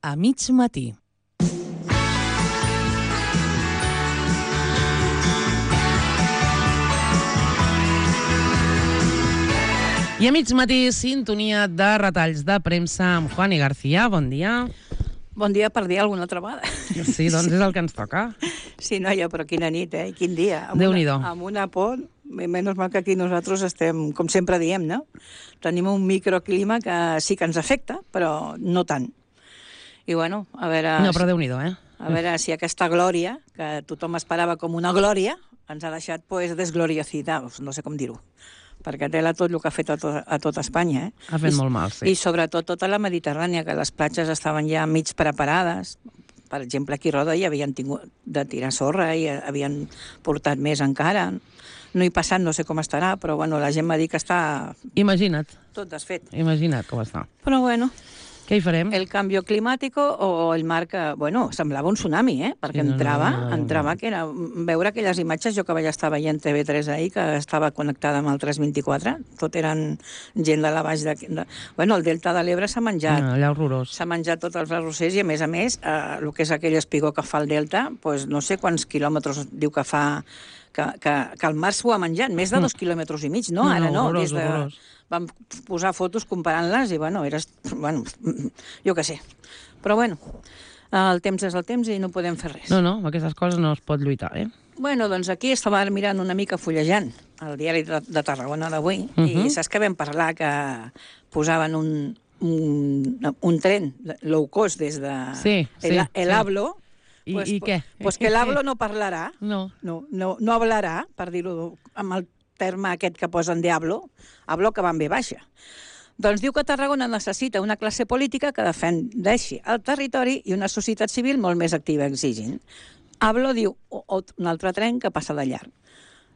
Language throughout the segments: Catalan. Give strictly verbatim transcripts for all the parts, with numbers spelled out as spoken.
a mig matí. I a mig matí, sintonia de retalls de premsa amb Juani García. Bon dia. Bon dia per dir alguna altra vegada. Sí, doncs és el que ens toca. Sí, noia, però quina nit, eh? Quin dia. Amb Déu-n'hi-do. Una, amb una por, menys mal que aquí nosaltres estem, com sempre diem, no? Tenim un microclima que sí que ens afecta, però no tant. I bueno, a veure... No, però Déu-n'hi-do, eh? A veure si aquesta glòria, que tothom esperava com una glòria, ens ha deixat, pues, desgloriocidados, no sé com dir-ho. Perquè tela tot el que ha fet a, to a tot Espanya. Eh? Ha fet I, molt mal, sí. I sobretot tota la Mediterrània, que les platges estaven ja mig preparades. Per exemple, aquí a Roda hi havien tingut de tirar sorra i havien portat més encara. No hi passat, no sé com estarà, però bueno, la gent m'ha dit que està... Imagina't. Tot desfet. Imagina't com està. Però bueno... Què hi farem? El canvi climàtic o el mar que... Bueno, semblava un tsunami, eh? Perquè sí, no, entrava, no, no, no, no. entrava que era... Veure aquelles imatges, jo que vaig estar veient T V tres ahir, que estava connectada amb el tres vint-i-quatre, tot eren gent de la baix de... de... Bueno, el Delta de l'Ebre s'ha menjat. No, allà horrorós. S'ha menjat tots els arrossers i, a més a més, eh, el que és aquell espigó que fa el Delta, pues, no sé quants quilòmetres diu que fa... Que, que, que el mar s'ho ha menjat, més de dos mm. quilòmetres i mig, no? No, Ara no, horrorós, des de... horrorós. Vam posar fotos comparant-les i, bueno, eres... Bueno, jo què sé. Però, bueno, el temps és el temps i no podem fer res. No, no, amb aquestes coses no es pot lluitar, eh? Bueno, doncs aquí estava mirant una mica fullejant el diari de, de Tarragona d'avui uh -huh. i saps que vam parlar que posaven un, un, un tren low cost des de sí, el, sí, el sí. Hablo. I, pues, i què? Pues que l'Hablo no parlarà. No. No, no, no hablarà, per dir-ho amb el terme aquest que posen de Hablo, Hablo que va en ve baixa. Doncs diu que Tarragona necessita una classe política que defendeixi el territori i una societat civil molt més activa exigint. Hablo diu o, o, un altre tren que passa de llarg.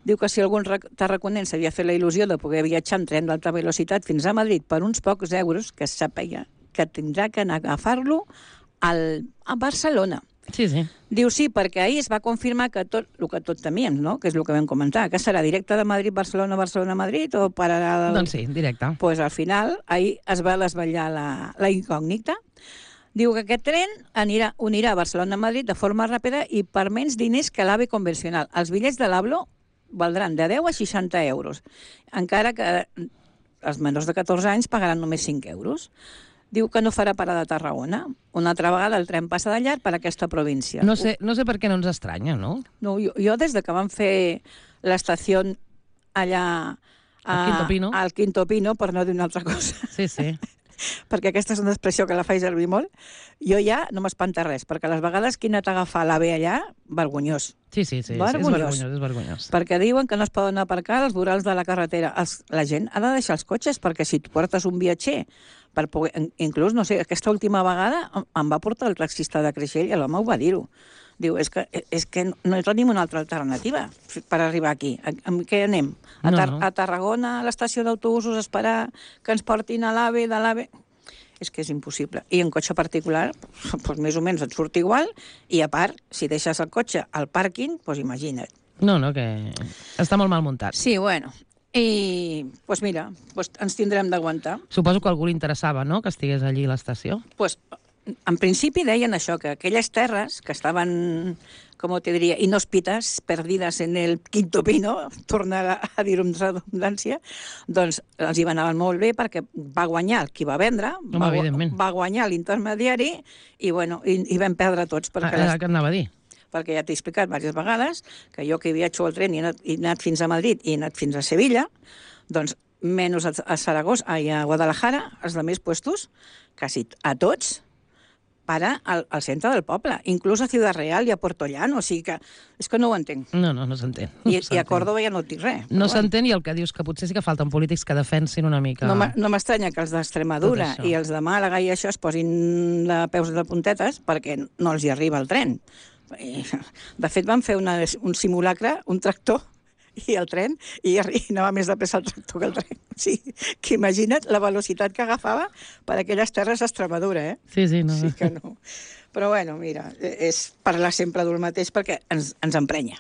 Diu que si algun tarraconent s'havia fet la il·lusió de poder viatjar en tren d'alta velocitat fins a Madrid per uns pocs euros, que sàpiga que tindrà que anar a agafar-lo a Barcelona. Sí, sí. Diu sí, perquè ahir es va confirmar que tot el que tot temíem, no? Que és el que vam comentar, que serà directe de Madrid, Barcelona, Barcelona, Madrid, o pararà... El... Doncs sí, directe. Doncs pues, al final, ahir es va desvetllar la, la incògnita. Diu que aquest tren anirà, unirà Barcelona a Madrid de forma ràpida i per menys diners que l'AVE convencional. Els bitllets de l'Hablo valdran de deu a seixanta euros, encara que els menors de catorze anys pagaran només cinc euros. Diu que no farà parada a Tarragona. Una altra vegada el tren passa de llarg per aquesta província. No sé, no sé per què no ens estranya, no? No, jo, jo des de que van fer l'estació allà... A, al Quinto Pino. Al Quinto Pino, per no dir una altra cosa. Sí, sí. Perquè aquesta és una expressió que la faig servir molt. Jo ja no m'espanta res, perquè les vegades que he anat a agafar l'AVE allà, vergonyós. Sí, sí, sí, vergonyós. és vergonyós, és vergonyós. Perquè diuen que no es poden aparcar als vorals de la carretera. Els, la gent ha de deixar els cotxes, perquè si tu portes un viatger, per poder, inclús, no sé, aquesta última vegada em va portar el taxista de Creixell i l'home ho va dir-ho. Diu, és que, és que no tenim una altra alternativa per arribar aquí. Amb què anem? A, Tar no, no. a Tarragona, a l'estació d'autobusos, a esperar que ens portin a l'AVE, de l'AVE... És que és impossible. I en cotxe particular, doncs més o menys et surt igual, i a part, si deixes el cotxe al pàrquing, doncs imagina't. No, no, que està molt mal muntat. Sí, bueno. I, doncs mira, doncs ens tindrem d'aguantar. Suposo que a algú li interessava, no?, que estigués allí a l'estació. Doncs, en principi deien això, que aquelles terres que estaven, com te diria, inhòspites, perdides en el Quinto Pino, tornar a dir-ho amb redundància, doncs els hi anaven molt bé perquè va guanyar el qui va vendre, Home, va, va guanyar l'intermediari i, bueno, i, i vam perdre tots. Perquè ah, les... Què anava a dir? Perquè ja t'he explicat diverses vegades que jo que viatjo al tren i he anat, he anat fins a Madrid i he anat fins a Sevilla, doncs menys a, a Saragossa i a Guadalajara, els altres puestos, quasi a tots, para al, al centre del poble, inclús a Ciudad Real i a Puerto Llano, o sigui que és que no ho entenc. No, no, no s'entén. No I, I a Córdoba ja no et dic res. No s'entén i el que dius que potser sí que falten polítics que defensin una mica... No m'estranya que els d'Extremadura i els de Màlaga i això es posin de peus de puntetes perquè no els hi arriba el tren. De fet, van fer una, un simulacre, un tractor, i el tren, i anava més de pressa el tractor que el tren. O sigui, que imagina't la velocitat que agafava per aquelles terres d'Extremadura, eh? Sí, sí, no. Sí que no. Però bueno, mira, és parlar sempre del mateix perquè ens, ens emprenya.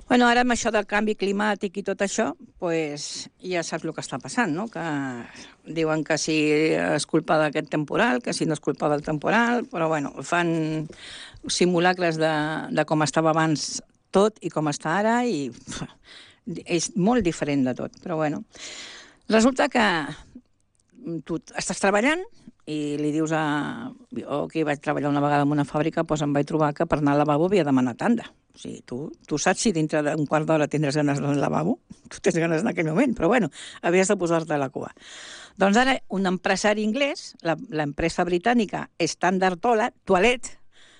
Bueno, ara amb això del canvi climàtic i tot això, pues, ja saps el que està passant, no? Que diuen que si és culpa d'aquest temporal, que si no és culpa del temporal, però bueno, fan simulacres de, de com estava abans tot i com està ara, i pff, és molt diferent de tot, però bueno. Resulta que tu estàs treballant i li dius a... Jo, que vaig treballar una vegada en una fàbrica, doncs em vaig trobar que per anar al lavabo havia de demanar tanda. O sigui, tu, tu saps si dintre d'un quart d'hora tindràs ganes d'anar al lavabo? Tu tens ganes en aquell moment, però bueno, havies de posar-te a la cua. Doncs ara, un empresari anglès, l'empresa britànica Standard Toilet,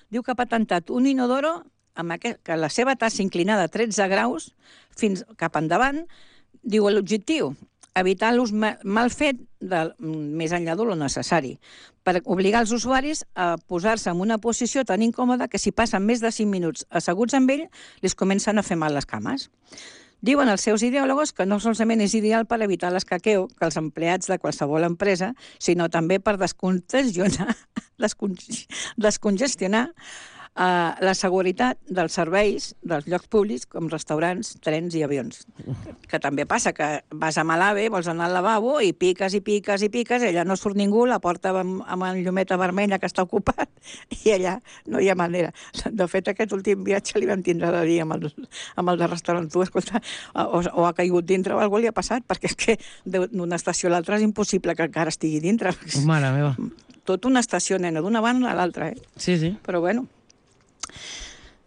diu que ha patentat un inodoro amb aquest, que la seva tassa inclinada a tretze graus fins cap endavant, diu l'objectiu, evitar l'ús mal fet del, més enllà de lo necessari, per obligar els usuaris a posar-se en una posició tan incòmoda que si passen més de cinc minuts asseguts amb ell, els comencen a fer mal les cames. Diuen els seus ideòlegos que no solament és ideal per evitar l'escaqueo que els empleats de qualsevol empresa, sinó també per descongestionar, descongestionar Uh, la seguretat dels serveis dels llocs públics com restaurants, trens i avions. Que, que també passa que vas a Malave, vols anar al lavabo i piques i piques i piques, allà no surt ningú, la porta amb, amb la llumeta vermella que està ocupat i allà no hi ha manera. De fet, aquest últim viatge li vam tindre de dir amb el, amb el de restaurant. Tu, escolta, o, o ha caigut dintre o alguna li ha passat, perquè és que d'una estació a l'altra és impossible que encara estigui dintre. Mare meva. Tot una estació, nena, d'una banda a l'altra, eh? Sí, sí. Però bueno.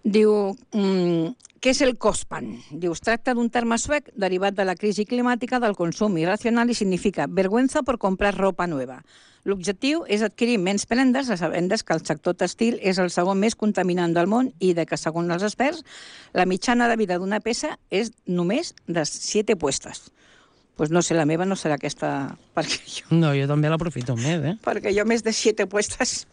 Diu, mm, què és el COSPAN? Diu, es tracta d'un terme suec derivat de la crisi climàtica del consum irracional i significa vergüenza por comprar ropa nueva. L'objectiu és adquirir menys prendes, sabent que el sector textil és el segon més contaminant del món i de que, segons els experts, la mitjana de vida d'una peça és només de siete puestes. Doncs pues no sé, la meva no serà aquesta... Perquè jo... No, jo també l'aprofito més, eh? Perquè jo més de siete puestes...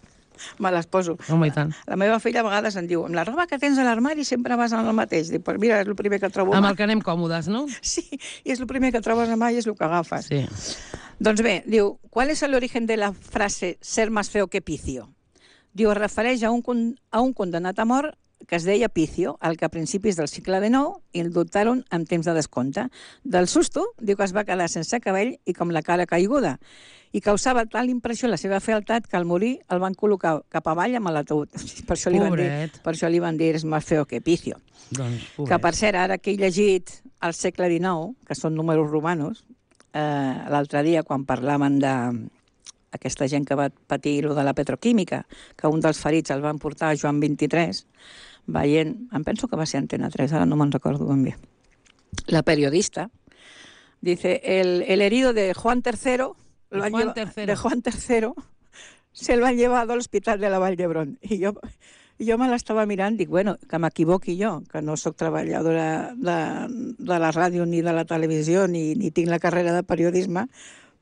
me les poso. Home, i tant. La meva filla a vegades em diu, amb la roba que tens a l'armari sempre vas en el mateix. Dic, pues mira, és el primer que trobo. Amb el que anem còmodes, no? Sí, i és el primer que trobes a mà i és el que agafes. Sí. Doncs bé, diu, ¿cuál es el origen de la frase ser más feo que Picio? Diu, es refereix a un, a un condenat a mort que es deia Picio, al que a principis del segle dinou indultaron en temps de descompte. Del susto, diu que es va quedar sense cabell i com la cara caiguda, i causava tal impressió la seva fealtat que al morir el van col·locar cap avall amb l'ataúd. Per això li van dir, per això li van dir és més feo que Picio. Doncs, que per cert, ara que he llegit al segle dinou, que són números romanos, eh, l'altre dia quan parlaven de aquesta gent que va patir lo de la petroquímica, que un dels ferits el van portar a Joan vint-i-tres, veient, em penso que va ser Antena tres, ara no me'n recordo ben bé. La periodista dice, el, el herido de Juan tercero, lo han Juan lleva, de Juan tercero, se lo han llevado al hospital de la Vall d'Hebron. I jo, jo me l'estava mirant, dic, bueno, que m'equivoqui jo, que no sóc treballadora de, de la ràdio ni de la televisió, ni, ni tinc la carrera de periodisme,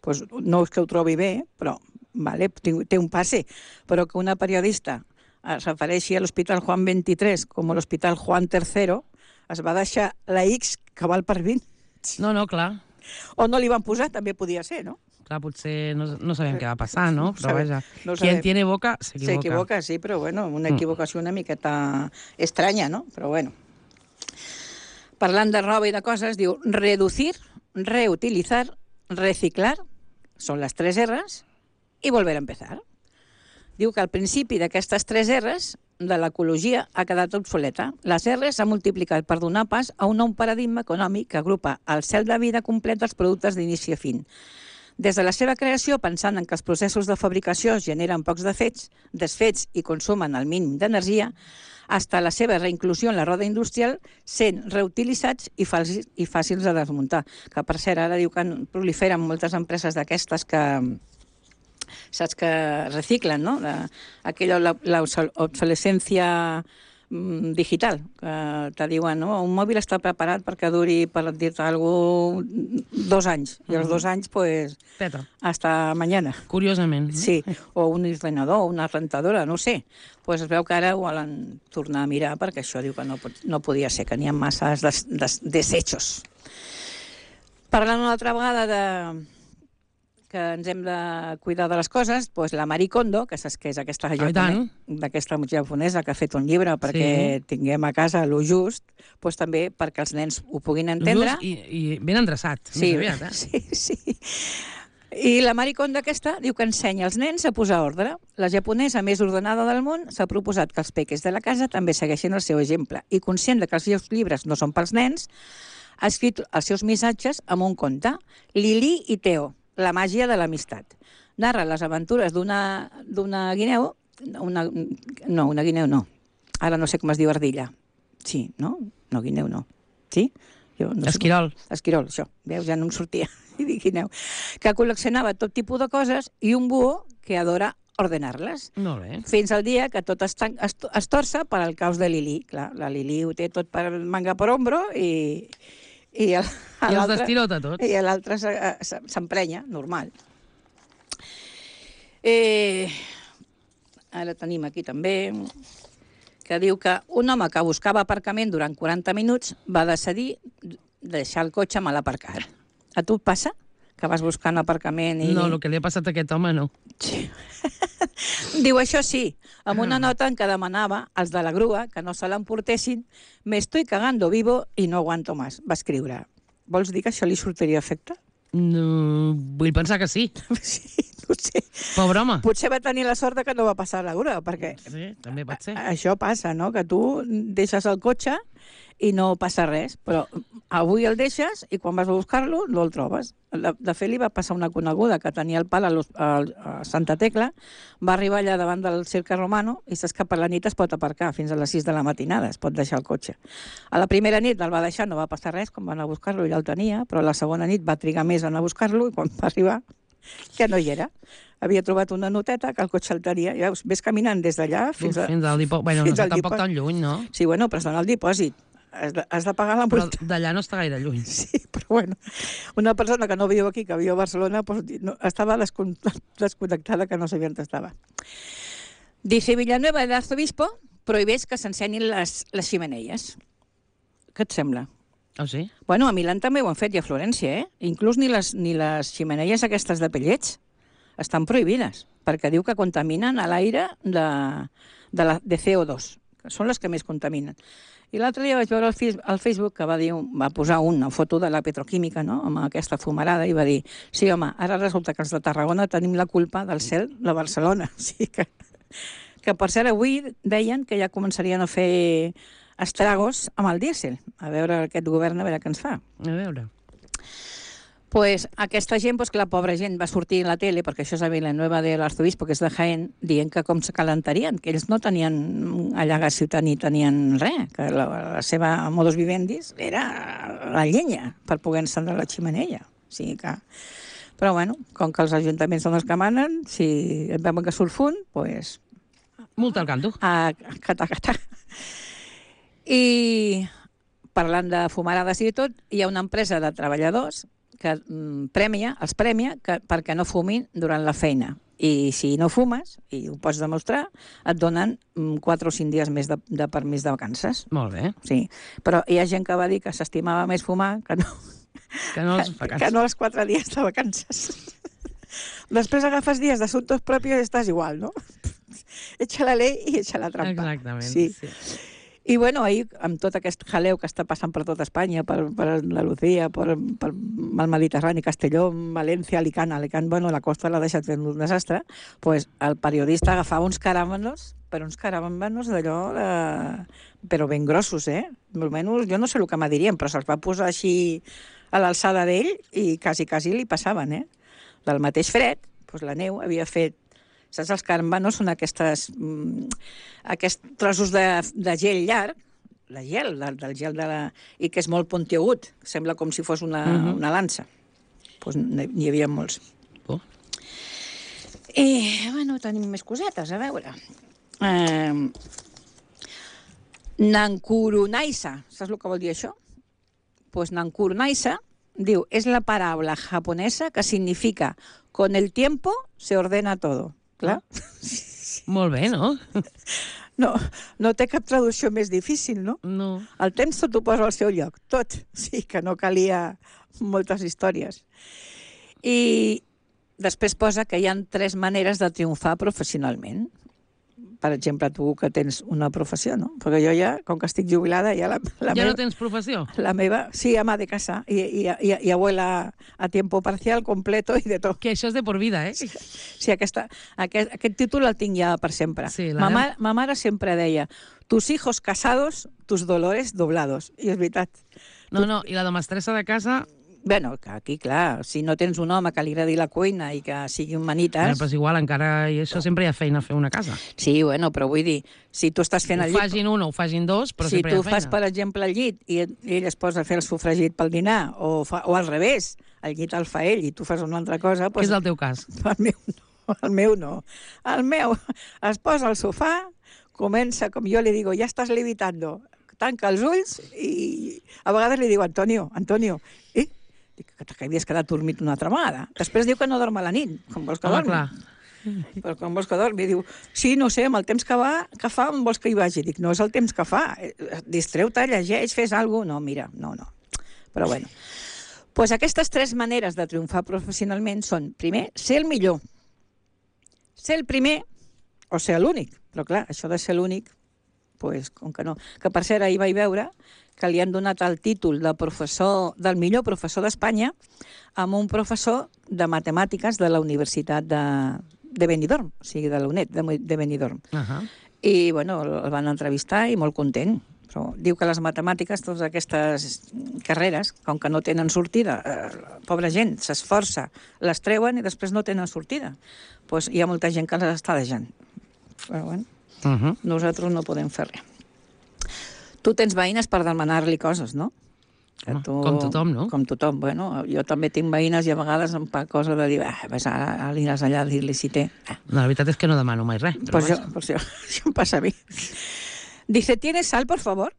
pues no és que ho trobi bé, però vale, té un passe, però que una periodista es refereixi a l'Hospital Juan vint-i-tres com a l'Hospital Juan tercero, es va deixar la X que val per vint. No, no, clar. O no li van posar, també podia ser, no? Clar, potser no, no sabem què va passar, no? Però Sabe, vaja, no quien tiene boca s'equivoca. S'equivoca, sí, però bueno, una equivocació una miqueta estranya, no? Però bueno. Parlant de roba i de coses, diu reducir, reutilizar, reciclar, són les tres R's, i volver a empezar. Diu que al principi d'aquestes tres R's de l'ecologia ha quedat obsoleta. Les R's s'han multiplicat per donar pas a un nou paradigma econòmic que agrupa el cel de vida complet dels productes d'inici a fin. Des de la seva creació, pensant en que els processos de fabricació generen pocs defects, desfets i consumen el mínim d'energia, fins a la seva reinclusió en la roda industrial sent reutilitzats i fàcils, i fàcils de desmuntar. Que, per cert, ara diu que proliferen moltes empreses d'aquestes que saps que reciclen, no? Aquella l'obsolescència digital, que te diuen, no? Un mòbil està preparat perquè duri, per dir-te alguna cosa, dos anys, i els dos anys, pues, Peta. hasta mañana. Curiosament. Sí, o un ordenador, una rentadora, no sé. Pues es veu que ara ho volen tornar a mirar perquè això diu que no, no podia ser, que n'hi ha masses des, des, desechos. Parlant una altra vegada de que ens hem de cuidar de les coses, doncs la Marie Kondo, que saps que és aquesta Ah, i japone- tant. d'aquesta japonesa que ha fet un llibre perquè Sí. tinguem a casa lo just, doncs també perquè els nens ho puguin entendre. Just i, i ben endreçat, Sí, més aviat, eh? sí, sí. I la Marie Kondo aquesta diu que ensenya als nens a posar ordre. La japonesa més ordenada del món s'ha proposat que els peques de la casa també segueixin el seu exemple i, conscient de que els seus llibres no són pels nens, ha escrit els seus missatges amb un conte, Lili i Teo, la màgia de l'amistat. Narra les aventures d'una d'una guineu, una, no, una guineu no, ara no sé com es diu ardilla. Sí, no? No, guineu no. Sí? Jo no sé Esquirol. com- Esquirol, això. Veus, ja no em sortia. I dic guineu. Que col·leccionava tot tipus de coses i un búho que adora ordenar-les. Molt bé. Fins al dia que tot es, tan, es, es torça per al caos de Lili. Clar, la Lili ho té tot per manga per ombro i, i, el, I els l'altre- destirota tots. i l'altre se- se- s'emprenya, normal. Eh, ara tenim aquí també que diu que un home que buscava aparcament durant quaranta minuts va decidir deixar el cotxe mal aparcat. A tu et passa? Que vas buscant aparcament i... No, el que li ha passat a aquest home no. Sí. Diu, això sí, amb una nota en què demanava als de la grua que no se l'emportessin, me estoy cagando vivo i no aguanto más, va escriure. Vols dir que això li sortiria efecte? No, vull pensar que sí. Sí, no ho sé. Pobre home. Potser va tenir la sort de que no va passar a la grua, perquè Sí, també pot ser. això passa, no? Que tu deixes el cotxe i no passa res, però avui el deixes i quan vas a buscar-lo no el trobes. De, de fet, li va passar una coneguda que tenia el pal a, l'hos- a, a Santa Tecla, va arribar allà davant del Cirque Romano i saps que per la nit es pot aparcar fins a les sis de la matinada, es pot deixar el cotxe. A la primera nit el va deixar, no va passar res, quan van a buscar-lo ja el tenia, però la segona nit va trigar més a anar a buscar-lo i quan va arribar ja no hi era. Havia trobat una noteta que el cotxe el tenia. I veus, ves caminant des d'allà fins, Uf, a... fins al dipòsit. Bueno, no fins està al tampoc dipòsit. tan lluny, no? Sí, bueno, però es dona el dipòsit. Has de, has de pagar la Però multa. d'allà no està gaire lluny. Sí, però bueno, una persona que no viu aquí, que viu a Barcelona, pues, no, estava descon- desconnectada, que no sabia on estava. Dice Villanueva de Arzobispo prohibeix que s'ensenyin les, les ximeneies. Què et sembla? Oh, sí? Bueno, a Milán també ho han fet i a Florència, eh? Inclús ni les, ni les ximeneies aquestes de pellets estan prohibides, perquè diu que contaminen a l'aire de, de, la, de C O dos, que són les que més contaminen. I l'altre dia vaig veure al Fis- al Facebook que va dir, va posar una foto de la petroquímica, no?, amb aquesta fumarada, i va dir, sí, home, ara resulta que els de Tarragona tenim la culpa del cel de Barcelona. O sigui que, que per cert, avui deien que ja començarien a fer estragos amb el dièsel. A veure aquest govern, a veure què ens fa. A veure. Pues aquesta gent, pues, que la pobra gent va sortir a la tele, perquè això és a Villanueva de l'Arzobispo, que és de Jaén, dient que com se calentarien, que ells no tenien allà gas ciutat ni tenien res, que la, la seva modus vivendi era la llenya per poder encendre la ximeneia. O sigui que... Però bueno, com que els ajuntaments són els que manen, si et veuen que surt fum, pues, Multa al canto. a catà, catà. I parlant de fumarades i tot, hi ha una empresa de treballadors que mm, premia, els premia que, perquè no fumin durant la feina. I si no fumes, i ho pots demostrar, et donen mm, quatre o cinc dies més de, de permís de vacances. Molt bé. Sí, però hi ha gent que va dir que s'estimava més fumar que no, Que no els que, vacances. que no els quatre dies de vacances. Després agafes dies d'assumptos propis i estàs igual, no? Echa la ley i echa la trampa. Exactament. Sí. Sí. I bueno, ahir, amb tot aquest jaleu que està passant per tota Espanya, per, per Andalucía, per, per el Mediterrani, Castelló, València, Alicant, Alicant, bueno, la costa l'ha deixat fent un desastre, pues el periodista agafava uns caràmenos, però uns caràmenos d'allò, de... però ben grossos, eh? Almenys, jo no sé el que me dirien, però se'ls va posar així a l'alçada d'ell i quasi, quasi li passaven, eh? Del mateix fred, doncs la neu havia fet... Saps, els caràmenos són aquestes, mm, aquests trossos de, de gel llarg, la gel, del, del gel de la... i que és molt puntiagut, sembla com si fos una, uh -huh. una lança. Doncs n'hi havia molts. Oh. I, bueno, tenim més cosetes, a veure. Eh, Nankurunaisa, saps el que vol dir això? Pues Nankurunaisa, diu, és la paraula japonesa que significa con el tiempo se ordena todo. Clar? Molt bé, no? No, no té cap traducció més difícil, no? No. El temps tot ho posa al seu lloc, tot. Sí, que no calia moltes històries. I després posa que hi ha tres maneres de triomfar professionalment. Per exemple, tu que tens una professió, no? Perquè jo ja, com que estic jubilada, ja la, la ja meva... no tens professió? La meva, sí, ama de casa y, y, y, y abuela a tiempo parcial, completo i de tot. Que això és de por vida, eh? Sí, aquesta, aquest, aquest títol el tinc ja per sempre. Sí, la ma, meva- ma, ma mare sempre deia, tus hijos casados, tus dolores doblados. I és veritat. No, no, i la de mestressa de casa... Bueno, que aquí, clar, si no tens un home que li agradi la cuina i que sigui un manites... Bueno, però és igual, encara i això sempre hi ha feina a fer una casa. Sí, bueno, però vull dir, si tu estàs fent Ho el llit... fagin un o ho fagin dos, però si sempre hi tu ha feina. fas, per exemple, el llit i ell es posa a fer el sofregit pel dinar, o, fa, o al revés, el llit el fa ell i tu fas una altra cosa... Què Doncs, és el teu cas? el meu no, el meu no. El meu es posa al sofà, comença, com jo li digo, ja estàs levitando, tanca els ulls i a vegades li diu, Antonio, Antonio, eh? Dic, que havies quedat dormit una altra vegada. Després diu que no dorm a la nit, com vols que Home, dormi. clar. Però com vols que dormi? Diu, sí, no sé, amb el temps que, va, que fa, on vols que hi vagi? Dic, no és el temps que fa. Distreu-te, llegeix, fes alguna cosa. No, mira, no, no. Però bueno. Pues aquestes tres maneres de triomfar professionalment són, primer, ser el millor. Ser el primer o ser l'únic. Però clar, això de ser l'únic, pues, com que no. Que per cert, ahir vaig veure que li han donat el títol de professor, del millor professor d'Espanya amb un professor de matemàtiques de la Universitat de, de Benidorm, o sigui, de la UNED de, de Benidorm. Uh -huh. I, bueno, el van entrevistar i molt content. Però diu que les matemàtiques, totes aquestes carreres, com que no tenen sortida, eh, pobra gent, s'esforça, les treuen i després no tenen sortida. Pues hi ha molta gent que les està deixant. Però, bueno, Uh -huh. nosaltres no podem fer res. Tu tens veïnes per demanar-li coses, no? Que Home, com tothom, no? Com tothom. Bueno, jo també tinc veïnes i a vegades em fa cosa de dir, ah, vas a, aniràs allà a dir-li si té. Ah. No, la veritat és que no demano mai res. Però Pues vaja. yo, pues yo, això em passa a mi. Dice, ¿tienes sal, por favor?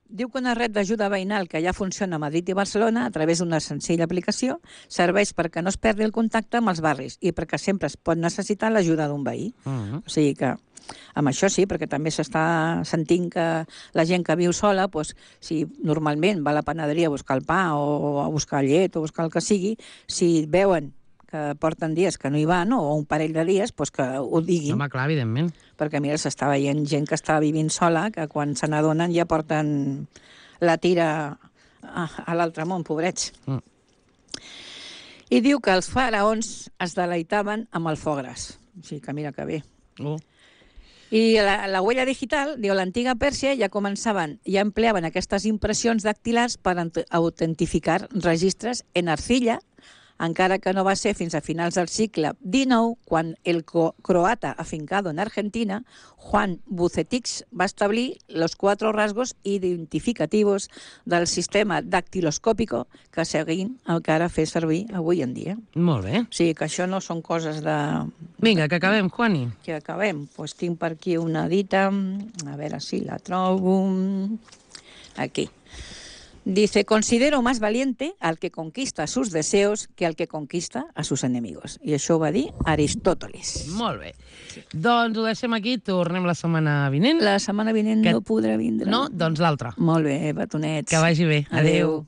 Diu que una red d'ajuda veïnal que ja funciona a Madrid i Barcelona a través d'una senzilla aplicació serveix perquè no es perdi el contacte amb els barris i perquè sempre es pot necessitar l'ajuda d'un veí. Uh -huh. O sigui que amb això sí, perquè també s'està sentint que la gent que viu sola, doncs, si normalment va a la panaderia a buscar el pa o a buscar llet o a buscar el que sigui, si veuen que porten dies que no hi van, o un parell de dies, doncs que ho diguin. Home, clar, evidentment. Perquè, mira, s'està veient gent que està vivint sola, que quan se n'adonen ja porten la tira a, a l'altre món, pobrets. Mm. I diu que els faraons es deleitaven amb el fogres. O sigui que mira que bé. Oh. I la, la huella digital, diu, l'antiga Pèrsia ja començaven, ja empleaven aquestes impressions dactilars per autentificar registres en arcilla, encara que no va ser fins a finals del segle dinou, quan el croata afincado en Argentina, Juan Bucetich, va establir los cuatro rasgos identificativos del sistema dactiloscòpico que seguim encara fer servir avui en dia. Molt bé. O sigui que això no són coses de... Vinga, que acabem, Juani. Que acabem. Pues tinc per aquí una dita, a veure si la trobo... Aquí. Dice, considero más valiente al que conquista sus deseos que al que conquista a sus enemigos. I això ho va dir Aristòteles. Molt bé. Doncs ho deixem aquí, tornem la setmana vinent. La setmana vinent que... no podrà vindre. No, doncs l'altra. Molt bé, batonets. Que vagi bé. Adéu. Adéu.